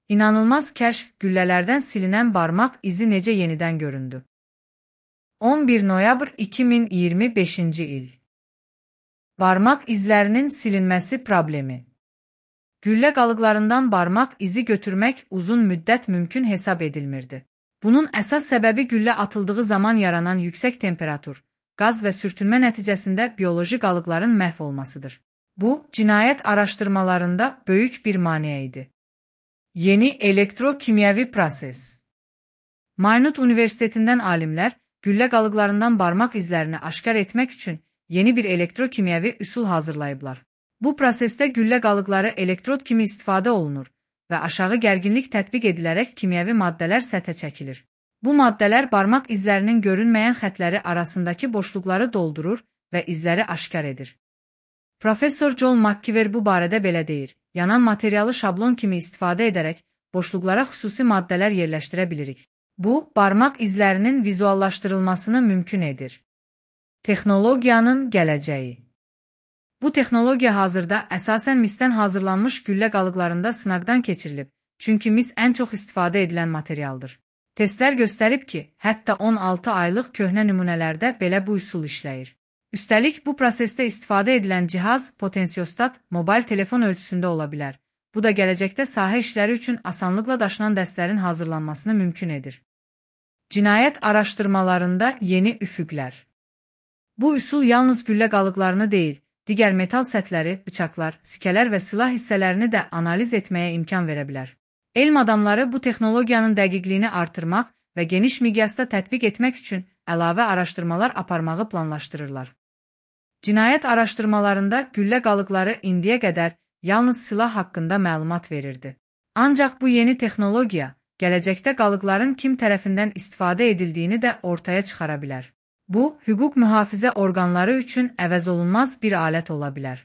İnanılmaz kəşf, güllələrdən silinən barmaq izi necə yenidən göründü? 11 noyabr 2025-ci il. Barmaq izlərinin silinməsi problemi. Güllə qalıqlarından barmaq izi götürmək uzun müddət mümkün hesab edilmirdi. Bunun əsas səbəbi güllə atıldığı zaman yaranan yüksək temperatur, qaz və sürtünmə nəticəsində bioloji qalıqların məhv olmasıdır. Bu, cinayət araşdırmalarında böyük bir maneə idi. Yeni elektrokimyəvi proses. Maynut Universitetindən alimlər, güllə qalıqlarından barmaq izlərini aşkar etmək üçün yeni bir elektrokimyəvi üsul hazırlayıblar. Bu prosesdə güllə qalıqları elektrod kimi istifadə olunur və aşağı gərginlik tətbiq edilərək kimyəvi maddələr səthə çəkilir. Bu maddələr barmaq izlərinin görünməyən xətləri arasındakı boşluqları doldurur və izləri aşkar edir. Professor Joel McKeever bu barədə belə deyir: yanan materialı şablon kimi istifadə edərək boşluqlara xüsusi maddələr yerləşdirə bilirik. Bu, barmaq izlərinin vizuallaşdırılmasını mümkün edir. Texnologiyanın gələcəyi. Bu texnologiya hazırda əsasən misdən hazırlanmış güllə qalıqlarında sınaqdan keçirilib, çünki mis ən çox istifadə edilən materialdır. Testlər göstərib ki, hətta 16 aylıq köhnə nümunələrdə belə bu üsul işləyir. Üstəlik, bu prosesdə istifadə edilən cihaz potensiostat mobil telefon ölçüsündə ola bilər. Bu da gələcəkdə sahə işləri üçün asanlıqla daşınan dəstlərin hazırlanmasını mümkün edir. Cinayət araşdırmalarında yeni üfüqlər. Bu üsul yalnız güllə qalıqlarını deyil, digər metal sətləri, bıçaqlar, sikələr və silah hissələrini də analiz etməyə imkan verə bilər. Elm adamları bu texnologiyanın dəqiqliyini artırmaq və geniş miqyasda tətbiq etmək üçün əlavə araşdırmalar aparmağı planlaşdırırlar. Cinayət araşdırmalarında güllə qalıqları indiyə qədər yalnız silah haqqında məlumat verirdi. Ancaq bu yeni texnologiya gələcəkdə qalıqların kim tərəfindən istifadə edildiyini də ortaya çıxara bilər. Bu, hüquq mühafizə orqanları üçün əvəzolunmaz bir alət ola bilər.